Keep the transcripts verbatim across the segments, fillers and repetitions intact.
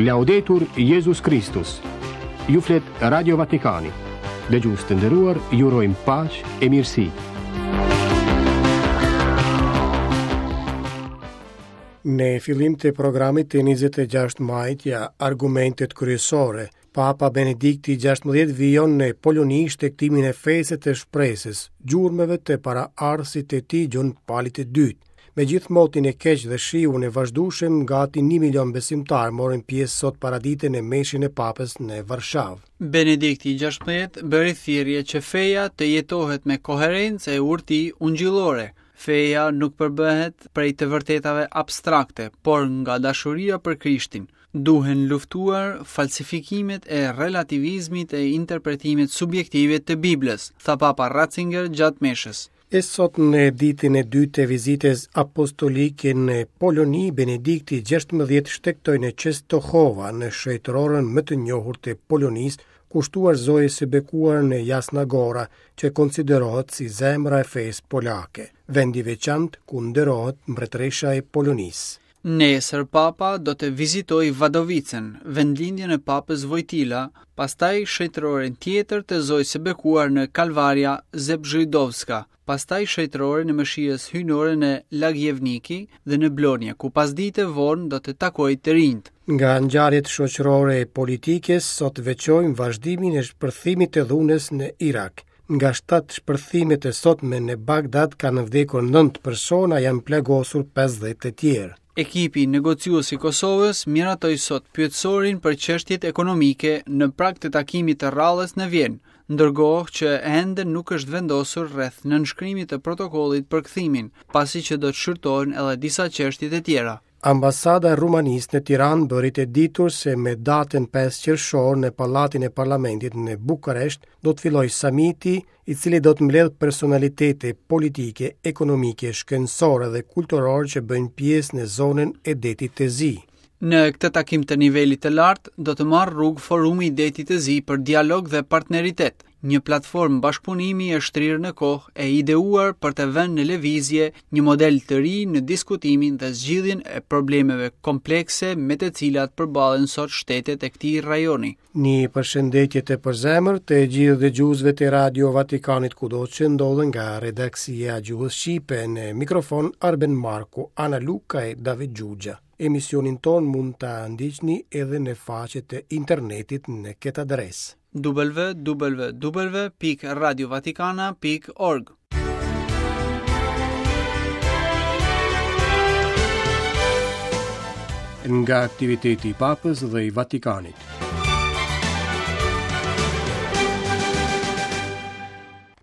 Laudetur Jezus Kristus. Ju flet Radio Vatikani. Dëgjues të nderuar, ju urojmë paqe e mirësi. Në fillim të programit të njëzet e gjashtë majit ja argumentet kryesore. Papa Benedikti gjashtëmbëdhjetë vijon në Poloni shtegtimin e fesë të shpresës, gjurmëve të paraardhësit të tij Gjon Palit të Dytë. Me gjithë motin e keq dhe shiun e vazhdueshëm, gati një milion besimtar morën pjesë sot paradite në meshën e Papës në Varshavë. Benedikti gjashtëmbëdhjetë bëri thirrje që feja të jetohet me koherencë e urti ungjillore. Feja nuk përbëhet prej të vërtetave abstrakte, por nga dashuria për Krishtin. Duhen luftuar falsifikimet e relativizmit e interpretimit subjektive të Biblës, tha Papa Ratzinger gjatë meshës. E sot në ditën e dytë të vizitës apostolike në Poloni, Benedikti gjashtëmbëdhjetë shtegtoi në Czestochowa, në shejtëroren më të njohur të Polonisë, kushtuar Zojës së Bekuar në Jasna Gora, që konsiderohet si zemra e fesë polake, vendi veçantë ku nderohet mbretëresha e Polonisë. Nesër Papa do të vizitojë Vadovicën, vendlindjen e Papës Wojtyla, pastaj shejtëroren tjetër të Zojës së Bekuar në Kalvaria Zebrzydowska, pastaj shejtëroren e Mëshirës Hyjnore në Lagjevniki dhe në Blonje, ku pasdite vonë do të takojë të rinjt. Nga ngjarjet shoqërore e politike, sot veçojmë vazhdimin e shpërthimit të dhunës në Irak. Nga shtatë shpërthimet e sotme në Bagdad kanë vdekur nëntë persona, janë plagosur pesëdhjetë të tjerë. Ekipi negociues i Kosovës miratoi sot pyetësorin për çështjet ekonomike në prag të takimit të radhës në Vjenë, ndërkohë që ende nuk është vendosur rreth nënshkrimit të protokollit për kthimin, pasi që do të shqyrtohen edhe disa çështje të tjera. Ambasada e Rumanisë në Tiranë bëri të ditur se me datën pesë qershor në Pallatin e Parlamentit në Bukaresht do të fillojë samiti, i cili do të mbledhë personalitete politike, ekonomike, shkencore dhe kulturore që bëjnë pjesë në zonën e Detit të Zi. Në këtë takim të nivelit të lartë do të marrë rrugë Forumi i Detit të Zi për dialog dhe partneritet, një platformë bashkëpunimi e shtrirë në kohë e ideuar për të vënë në lëvizje një model të ri në diskutimin dhe zgjidhjen e problemeve komplekse me të cilat përballen sot shtetet e këtij rajoni. Një përshëndetje të përzemër të gjithë dëgjuesve të Radio Vatikanit kudo që ndodhen nga redaksia e gjuhës shqipe, në mikrofon Arben Marku, Ana Luka e David Gjugja. Emisionin ton mund ta ndiqni edhe në faqet e internetit në këtë adresë: w w w pikë radio vatikana pikë org. Nga aktiviteti i Papës dhe i Vatikanit.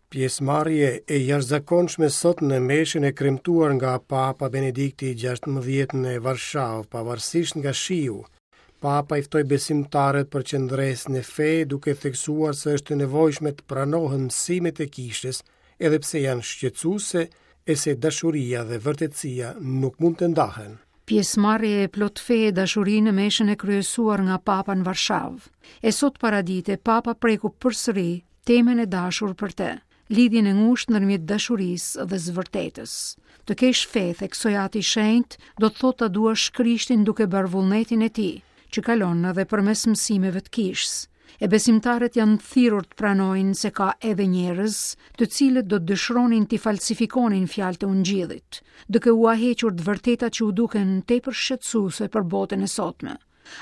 Pjesëmarrje e jashtëzakonshme sot në meshën e kremtuar nga Papa Benedikti gjashtëmbëdhjetë në Varshavë, pavarësisht nga shiu. Papa i ftoi besimtarët për qëndresë në fe, duke theksuar se është e nevojshme të pranohen mësimet e kishës, edhe pse janë shqetësuese e se dashuria dhe vërtetësia nuk mund të ndahen. Pjesëmarrje e plot fe e dashuri në meshën e kryesuar nga Papa në Varshavë. E sot paradite Papa preku përsëri temën e dashur për të, lidhjen e ngushtë ndërmjet dashurisë dhe së vërtetës. Të kesh fe, theksoi Ati i Shenjtë, do të thotë ta duash Krishtin duke bërë vullnetin e tij, që kalon edhe përmes mësimeve të kishës. E besimtarët janë thirrur të pranojnë se ka edhe njerëz, të cilët do të dëshironin t'i falsifikonin fjalët e ungjillit, duke ua hequr të vërtetat që u duken tepër shqetësuese për botën e sotme.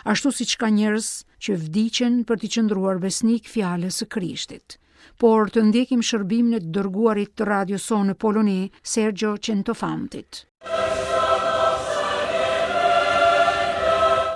Ashtu siç ka njerëz që vdiqen për t'i qëndruar besnik fjalës së Krishtit. Por të ndjekim shërbimin e të dërguarit të radios sonë në Poloni, Sergio Centofantit.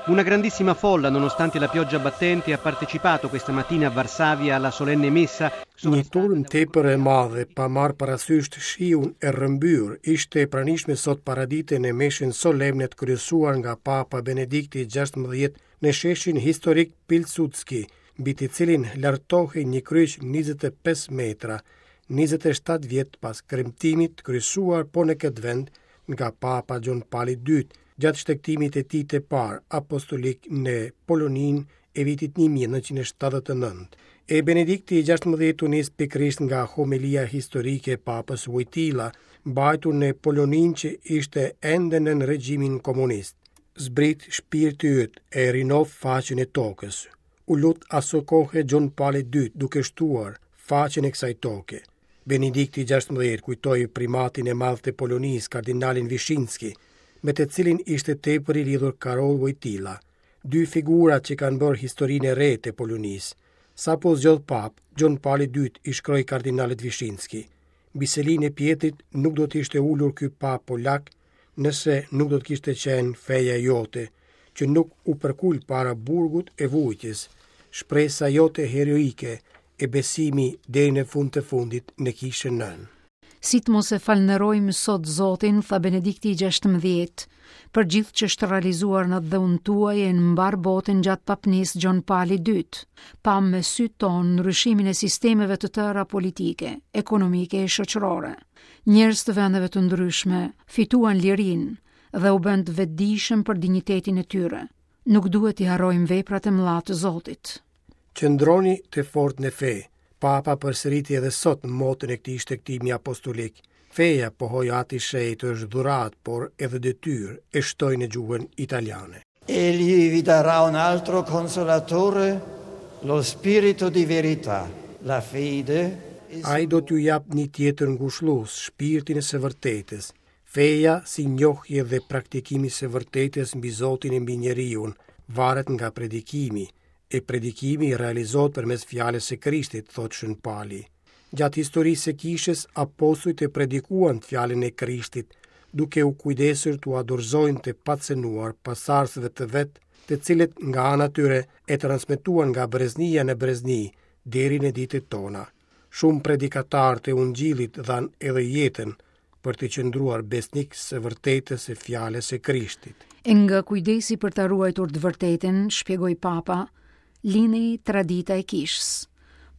Una grandissima folla, nonostante la pioggia battente, ha partecipato questa mattina a Varsavia alla solenne messa. Një turm tepër e madhe, pa marrë parasysh shiun e rrëmbyer, ishte e pranishme sot paradite në meshën solemne të kryesuar nga Papa Benedikti gjashtëmbëdhjetë në sheshin historik Pilsudski, mbi të cilin lartohej një kryq njëzet e pesë metra, njëzet e shtatë vjet pas kremtimit të kryesuar po në këtë vend nga Papa Gjon Pali i Dytë, gjatë shtegtimit e tij të parë apostolik në Poloninë e vitit një mijë e nëntëqind e shtatëdhjetë e nëntë. E Benedikti i gjashtëmbëdhjetë u nis pikërisht nga homilia historike e Papës Wojtyla, mbajtur në Poloninë që ishte ende nën regjimin komunist. Zbrit shpirti yt e rinoftë faqen e tokës. U lut aso kohe Gjon Pali i Dytë duke shtuar faqen e kësaj toke. Benedikti gjashtëmbëdhjetë kujtoi primatin e madh të Polonisë, kardinalin Vishinski, me të cilin ishte tepër i lidhur Karol Wojtyla, dy figura që kanë bërë historinë e re të Polonisë. Sapo zgjodh pap, Gjon Pali i Dytë i shkroi kardinalit Vishinski: "Mbi selinë e Pjetrit nuk do të ishte ulur ky pap polak nëse nuk do të kishte qenë feja jote, që nuk u përkul para burgut e vujtjes, shpresa jote heroike e besimi deri në fund të fundit në kishën nënë." Si të mos e falënderojmë sot Zotin, tha Benedikti i gjashtëmbëdhjetë, për gjithë që është realizuar në dheun tuaj e në mbarë botën gjatë papnisë Gjon Pali i Dytë. Pam me sy tonë ndryshimin e sistemeve të tëra politike, ekonomike e shoqërore. Njerëz të vendeve të ndryshme fituan lirinë dhe u bënë të vetëdijshëm për dinjitetin e tyre. Nuk duhet t'i harrojmë veprat e mëdha të Zotit. Qëndroni të fortë në fe. Papa përsëriti edhe sot në motën e këtij shtegtimi apostolik. Feja, pohoi Ati Shenjt, është dhuratë, por edhe detyrë, e shtoi në gjuhën italiane. Egli vi darà un altro consolatore, lo spirito di verità, la fede. Ai do t'ju jap një tjetër ngushëllues, shpirtin e së vërtetës. Feja, si njohje dhe praktikimi së vërtetës mbi Zotin e mbi njeriun, varet nga predikimi, e predikimi realizohet përmes fjalës së Krishtit, thotë Shën Pali. Gjatë historisë së kishës, apostujt e predikuan fjalën e Krishtit, duke u kujdesur t'u dorëzojnë të pacenuar pasardhësve të vet, të cilët nga ana tyre e transmetuan nga breznia në brezni deri në ditët tona. Shumë predikatarë të Ungjillit dhanë edhe jetën për të qëndruar besnik së vërtetës së fjalës së Krishtit. E nga kujdesi për ta ruajtur të vërtetën, shpjegoi Papa, lindi tradita e kishës.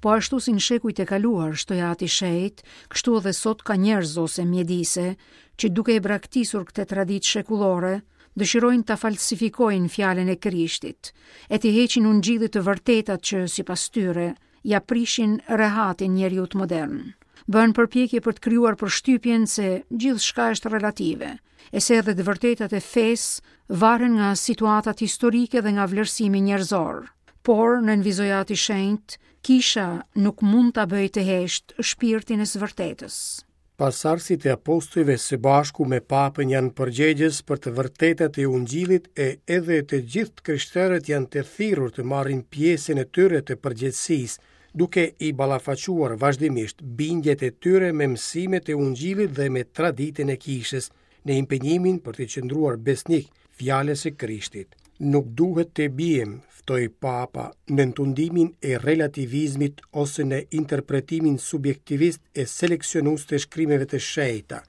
Po ashtu si në shekujt e kaluar, shtoi Ati Shenjt, kështu edhe sot ka njerëz ose mjedise që duke e braktisur këtë traditë shekullore, dëshirojnë ta falsifikojnë fjalën e Krishtit, e t'i heqin ungjillit të vërtetat që, sipas tyre, ja prishin rehatin njeriut modern. Bën përpjekje për të krijuar përshtypjen se gjithçka është relative, e se edhe të vërtetat e fesë varen nga situatat historike dhe nga vlerësimi njerëzor. Por, nënvizoi Ati Shenjt, kisha nuk mund ta bëjë të hesht shpirtin e së vërtetës. Pasardhësit e apostujve së bashku me papën janë përgjegjës për të vërtetat e Ungjillit e edhe të gjithë të krishterët janë të thirrur të marrin pjesën e tyre të përgjegjësisë, duke i ballafaquar vazhdimisht bindjet e tyre me mësimet e Ungjillit dhe me traditën e kishës, në impenjimin për të qëndruar besnik fjalës së Krishtit. Nuk duhet të biem, ftoi Papa, në tundimin e relativizmit ose në interpretimin subjektivist e seleksionues të shkrimeve të shenjta.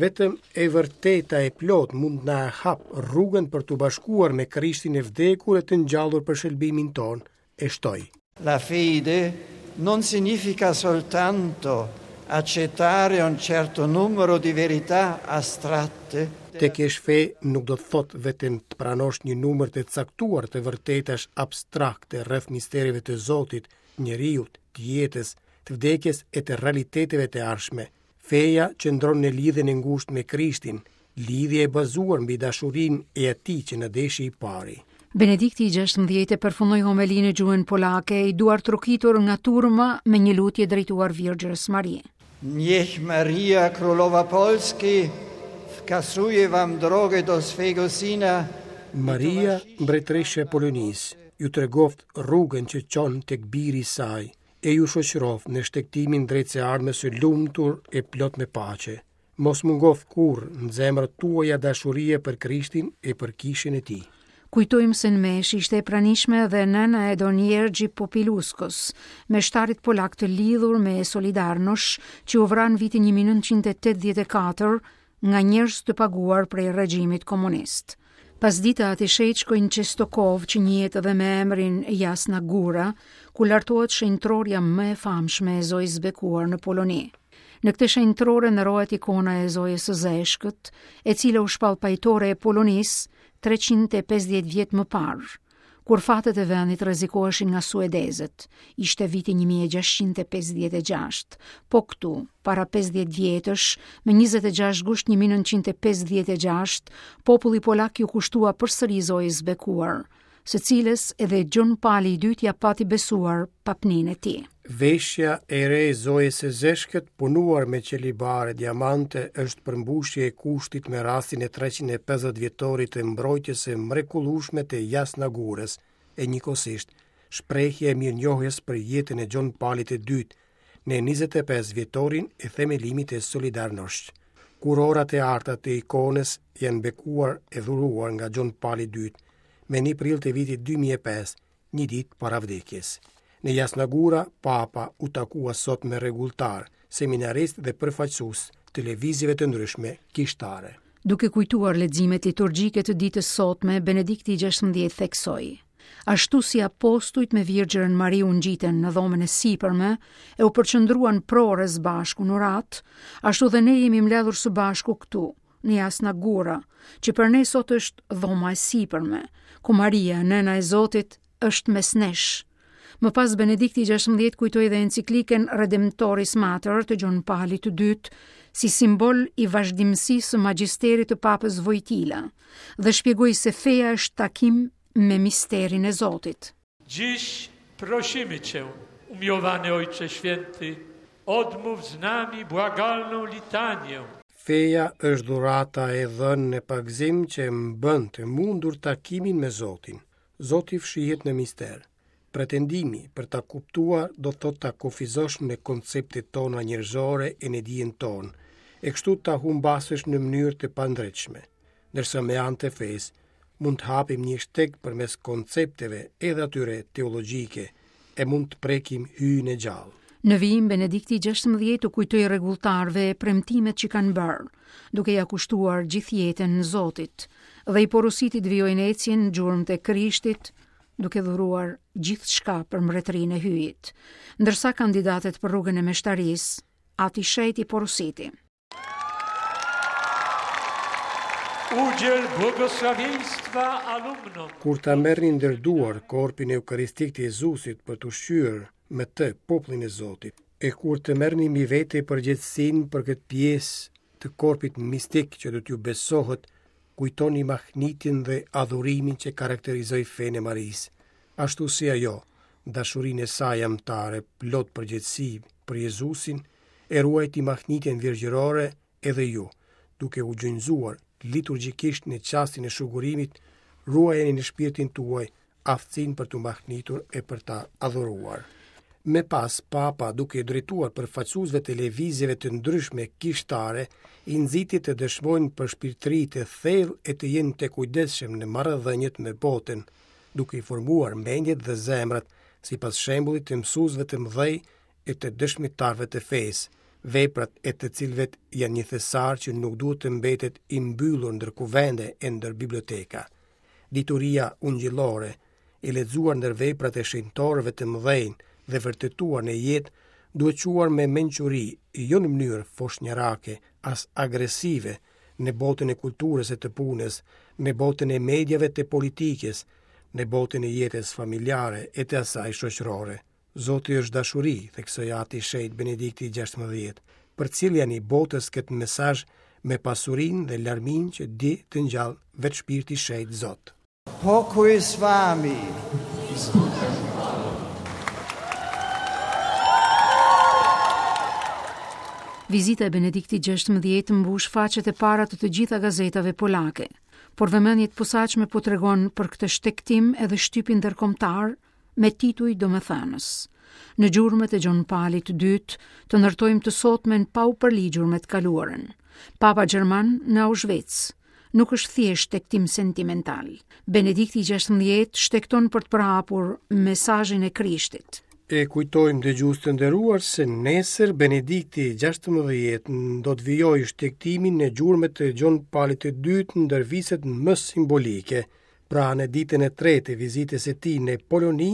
Vetëm e vërteta e plot mund na hap rrugën për t'u bashkuar me Krishtin e vdekur e të ngjallur për shëlbimin tonë, e shtoi. La fede non significa soltanto accettare un certo numero di verità astratte. Të kesh fe nuk do të thotë vetëm të pranosh një numër të caktuar të vërtetash abstrakte rreth mistereve të Zotit, njeriut, të jetës, të vdekjes e të realiteteve të ardhshme. Feja qëndron në lidhjen e ngushtë me Krishtin, lidhje e bazuar mbi dashurinë e atij që na deshi i pari. Benedikti i gjashtëmbëdhjetë përfundoi homelinë në gjuhën polake, i duar trokitur nga turma me një lutje drejtuar Virgjërës Marie. Niech Maria Królowa Polski wskazuje wam drogę do swego syna. Maria, mbretëresha e Polonisë, ju tregoft rrugën që çon tek biri i saj, e ju shoqëroft në shtegtimin drejt së ardhmes së lumtur e plot me paqe. Mos mungoft kurrë në zemrat tuaja dashuria për Krishtin e për kishën e tij. Kujtojmë se në mesh ishte e pranishme edhe nëna e Don Jerzy Popiełuszkos, meshtarit polak të lidhur me Solidarnosc, që u vra në vitin një mijë e nëntëqind e tetëdhjetë e katër nga njerëz të paguar prej regjimit komunist. Pas dita Ati Shenjt shkoi në Çestokov, që njihet edhe me emrin Jasna Gura, ku lartohet shenjtorja më e famshme e Zojës Bekuar në Poloni. Në këtë shenjtore nderohet ikona e Zojës së Zeshkët, e cila u shpall pajtore e Polonisë treqind e pesëdhjetë vjet më parë, kur fatet e vendit rrezikoheshin nga suedezët. Ishte viti një mijë e gjashtëqind e pesëdhjetë e gjashtë. Po këtu, para pesëdhjetë vjetësh, me njëzet e gjashtë gusht një mijë e nëntëqind e pesëdhjetë e gjashtë, populli polak ju kushtua përsëri Zojës bekuar, së cilës edhe Gjon Pali i dytë ja pati besuar papnin e tij. Veshja e re e Zojës së Zeshkët, punuar me qelibare diamante, është përmbushje e kushtit me rastin e treqind e pesëdhjetë vjetorit të mbrojtjes së mrekullueshme të Jasna Gurës, e njëkohësisht shprehje e mirënjohjes për jetën e Gjon Palit të dytë në njëzet e pesë vjetorin e themelimit të Solidarnosht. Kurorat e arta të ikonës janë bekuar e dhuruar nga Gjon Pali i dytë me një prill të vitit dy mijë e pesë, një ditë para vdekjes. Në Jasna Gura, Papa u takua sot me rregulltar, seminarist dhe përfaqësues të lëvizjeve të ndryshme kishtare. Duke kujtuar leximet liturgjike të ditës sotme, Benedikti i gjashtëmbëdhjetë theksoi: Ashtu si apostujt me Virgjërën Mari u ngjitën në dhomën e sipërme e u përqendruan prores bashku në urat, ashtu dhe ne jemi mbledhur së bashku këtu, në Jasna Gura, që për ne sot është dhoma e sipërme, ku Maria, nëna e Zotit, është mes nesh. Më pas Benedikti i gjashtëmbëdhjetë kujtoi dhe enciklikën Redemptoris Mater të Gjon Palit të dytë si simbol i vazhdimësisë së magjisterit të Papës Vojtila dhe shpjegoi se feja është takim me misterin e Zotit. Dziś prosimy Cię, umiłowany Ojcze Święty, odmów z nami błagalną litanię. Feja është dhurata e dhënë në pagëzim që mbën të mundur takimin me Zotin. Zoti fshihet në mister. Pretendimi për ta kuptuar do të thotë ta kufizosh në konceptet tona njerëzore e në dijen tonë, e kështu ta humbasësh në mënyrë të pandreqshme. Ndërsa me anë të fesë mund të hapim një shteg përmes koncepteve edhe atyre teologjike e mund të prekim hyjin e gjallë. Në vijim, Benedikti i gjashtëmbëdhjetë u kujtoi rregulltarëve premtimet që kanë bërë, duke ja kushtuar gjithë jetën Zotit, dhe i porositi të vijojnë ecjen në gjurmët e Krishtit, duke dhuruar gjithçka për mbretërinë e Hyjit. Ndërsa kandidatet për rrugën e meshtarisë, Ati Shenjt i porositi: Udziel błogosławieństwa alumnom. Kur ta merrni ndër duar korpin eukaristik të Jezusit për të ushqyer me të popullin e Zotit, e kur të merrni mbi vete përgjegjësinë për këtë pjesë të korpit mistik që do t'ju besohet, kujtoni mahnitin dhe adhurimin që karakterizoi fenë e Marisë, ashtu si ajo, dashurinë e saj amtare plot përgjegjësi për Jezusin, e ruajti mahnitjen virgjërore edhe ju, duke u gjunjëzuar liturgjikisht në çastin e shugurimit, ruajeni në shpirtin tuaj aftësinë për t'u mahnitur e për ta adhuruar. Me pas, Papa, duke drejtuar përfaqësuesve të lëvizjeve të ndryshme kishtare, i nxiti të dëshmojnë për shpirtëri të thellë e të jenë të kujdesshëm në marrëdhëniet me botën, duke i formuar mendjet dhe zemrat sipas shembullit të mësuesve të mëdhej e të dëshmitarëve të fesë, veprat e të cilëve janë një thesar që nuk duhet të mbetet i mbyllur ndër kuvende e ndër biblioteka. Dituria ungjillore, e lexuar ndër veprat e shenjtorëve të mëdhenj dhe vërtetuar në jetë, duhet quar me mençuri, jo në mënyrë foshnjarake, as agresive, në botën e kulturës e të punës, në botën e mediave të politikës, në botën e jetës familjare e të asaj shoqërore. Zoti është dashuri, theksoi Ati Shenjt Benedikti i gjashtëmbëdhjetë. Përcilljani botës këtë mesazh me pasurinë dhe larminë që di të ngjall vetë shpirti i shenjt Zot. Pokój z wami. Vizita e Benediktit gjashtëmbëdhjetë mbush faqet e para të të gjitha gazetave polake, por vëmendje të posaçme po tregon për këtë shtegtim edhe shtypi ndërkombëtar me tituj domethënës. Në gjurmët e Gjon Palit të dytë, të ndërtojmë të sotmen pa u përligjur me të kaluarën. Papa Gjerman në Auschwitz nuk është thjesht shtegtim sentimental. Benedikti i gjashtëmbëdhjetë shtegton për të përhapur mesazhin e Krishtit. E kujtojmë dëgjues të nderuar se nesër Benedikti i gjashtëmbëdhjetë do të vijojë shtegtimin në gjurmët e Gjon Palit të dytë ndër viset më simbolike. Pra në ditën e tretë të vizitës së tij në Poloni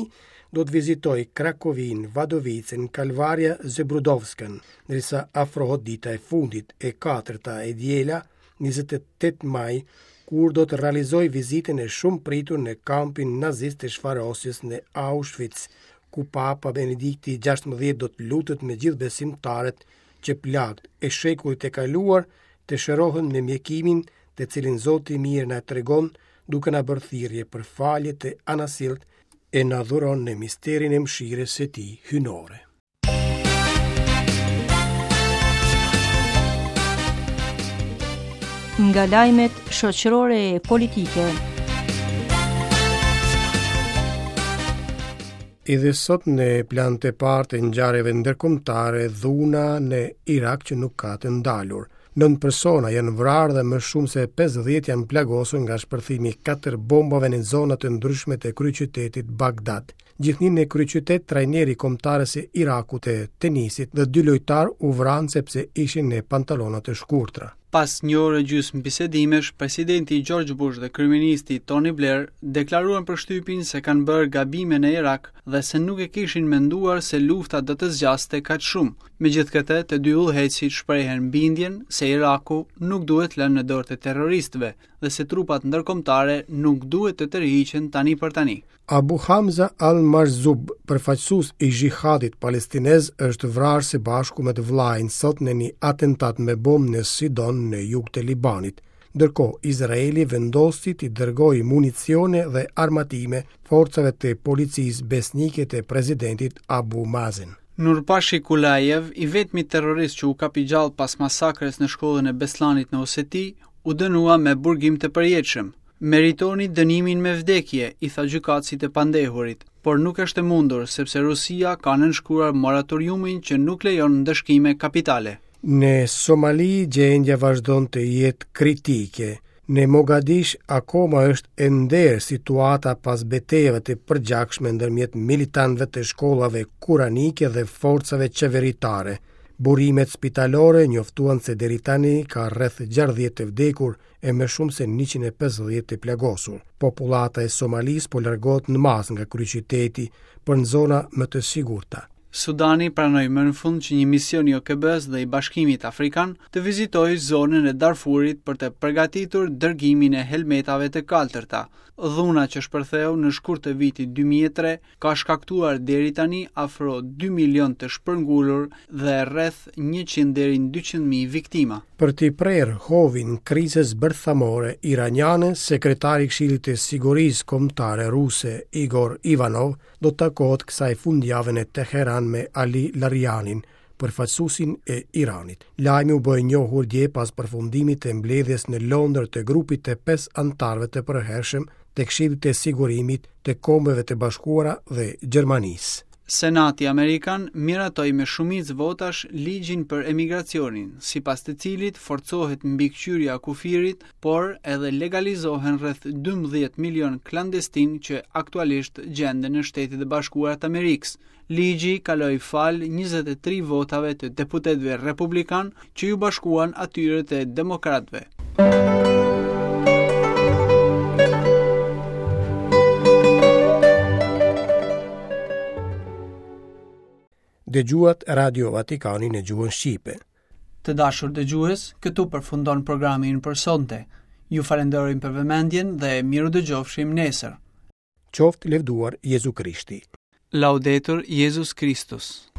do të vizitojë Krakovin, Vadovicën, Kalvaria Zebrudovskën, ndërsa afrohet dita e fundit, e katërta e diela, njëzet e tetë maj, kur do të realizojë vizitën e shumëpritur në kampin nazist të shfarosjes në Auschwitz, ku Papa Benedikti gjashtëmbëdhjetë do të lutet me gjithë besimtarët që plagët e shekullit të kaluar të shërohen me mjekimin të cilin Zoti i mirë na tregon duke na bërë thirrje për falje të anasilt e na dhuron në misterin e mëshirës së tij hyjnore. Nga lajmet shoqërore e politike. Edhe sot në plan të parë të ngjarjeve ndërkombëtare, dhuna në Irak që nuk ka të ndalur. Nëntë persona janë vrarë dhe më shumë se pesëdhjetë janë plagosur nga shpërthimi i katër bombave në zona të ndryshme të kryeqytetit Bagdad. Gjithnjë në kryeqytet, trajneri i kombëtares së Irakut të tenisit dhe dy lojtarë u vranë sepse ishin në pantallona të shkurtra. Pas një orë e gjysmë bisedimesh, presidenti George Bush dhe kryeministri Tony Blair deklaruan për shtypin se kanë bërë gabime në Irak dhe se nuk e kishin menduar se lufta do të zgjaste kaq shumë. Megjithëkëtë, të dy udhëheqësit shprehen bindjen se Iraku nuk duhet lënë në dorë të terroristëve dhe se trupat ndërkombëtare nuk duhet të tërhiqen tani për tani. Abu Hamza al-Marzub, përfaqësues i xhihadit palestinez, është vrarë së bashku me të vllajin sot në një atentat me bombë në Sidon në jug të Libanit. Ndërkohë, Izraeli vendosi t'i dërgojë municione dhe armatime forcave të policisë besnike të presidentit Abu Mazen. Nurpashi Kulajev, i vetmi terrorist që u kap i gjallë pas masakrës në shkollën e Beslanit në Oseti, u dënua me burgim të përjetshëm. Meritoni dënimin me vdekje, i tha gjykatësit e pandehurit, por nuk është e mundur sepse Rusia ka nënshkruar moratoriumin që nuk lejon ndëshkime kapitale. Në Somali gjendja vazhdon të jetë kritike. Në Mogadish akoma është e nderë situata pas betejave të përgjakshme ndërmjet militantëve të shkollave kuranike dhe forcave qeveritare. Burimet spitalore njoftuan se deri tani ka rreth gjashtëdhjetë të vdekur e më shumë se njëqind e pesëdhjetë të plagosur. Popullata e Somalisë po largohet në masë nga kryeqyteti për në zona më të sigurta. Sudani pranoi më në fund që një mision i O K B-s dhe i Bashkimit Afrikan të vizitojë zonën e Darfurit për të përgatitur dërgimin e helmetave të kaltërta. Dhuna që shpërtheu në shkurt të vitit dy mijë e tre ka shkaktuar deri tani afro dy milion të shpërngulur dhe rreth njëqind deri në dyqind mijë viktima. Për t'i prerë hovin krizës bërthamore iraniane, sekretari i Këshillit të Sigurisë Kombëtare Ruse Igor Ivanov do të takohet kësaj fundjave në Teheran me Ali Larianin, përfaqësuesin e Iranit. Lajmi u bë i njohur dje pas përfundimit të mbledhjes në Londër të grupit të pesë anëtarëve të përhershëm të Këshillit të Sigurimit të Kombeve të Bashkuara dhe Gjermanisë. Senati Amerikan miratoi me shumicë votash ligjin për emigracionin, sipas të cilit forcohet mbikëqyrja e kufirit, por edhe legalizohen rreth dymbëdhjetë milion klandestin që aktualisht gjenden në Shtetet e Bashkuara të Amerikës. Ligji kaloi fal njëzet e tri votave të deputetëve republikan që ju bashkuan atyre të demokratëve. Dëgjuat Radio Vatikanin në gjuhën shqipe. Të dashur dëgjues, këtu përfundon programi ynë për sonte. Ju falenderojmë për vëmendjen dhe miru dëgjofshim nesër. Qoftë lëvduar Jezu Krishti. Laudetur Jezus Christus.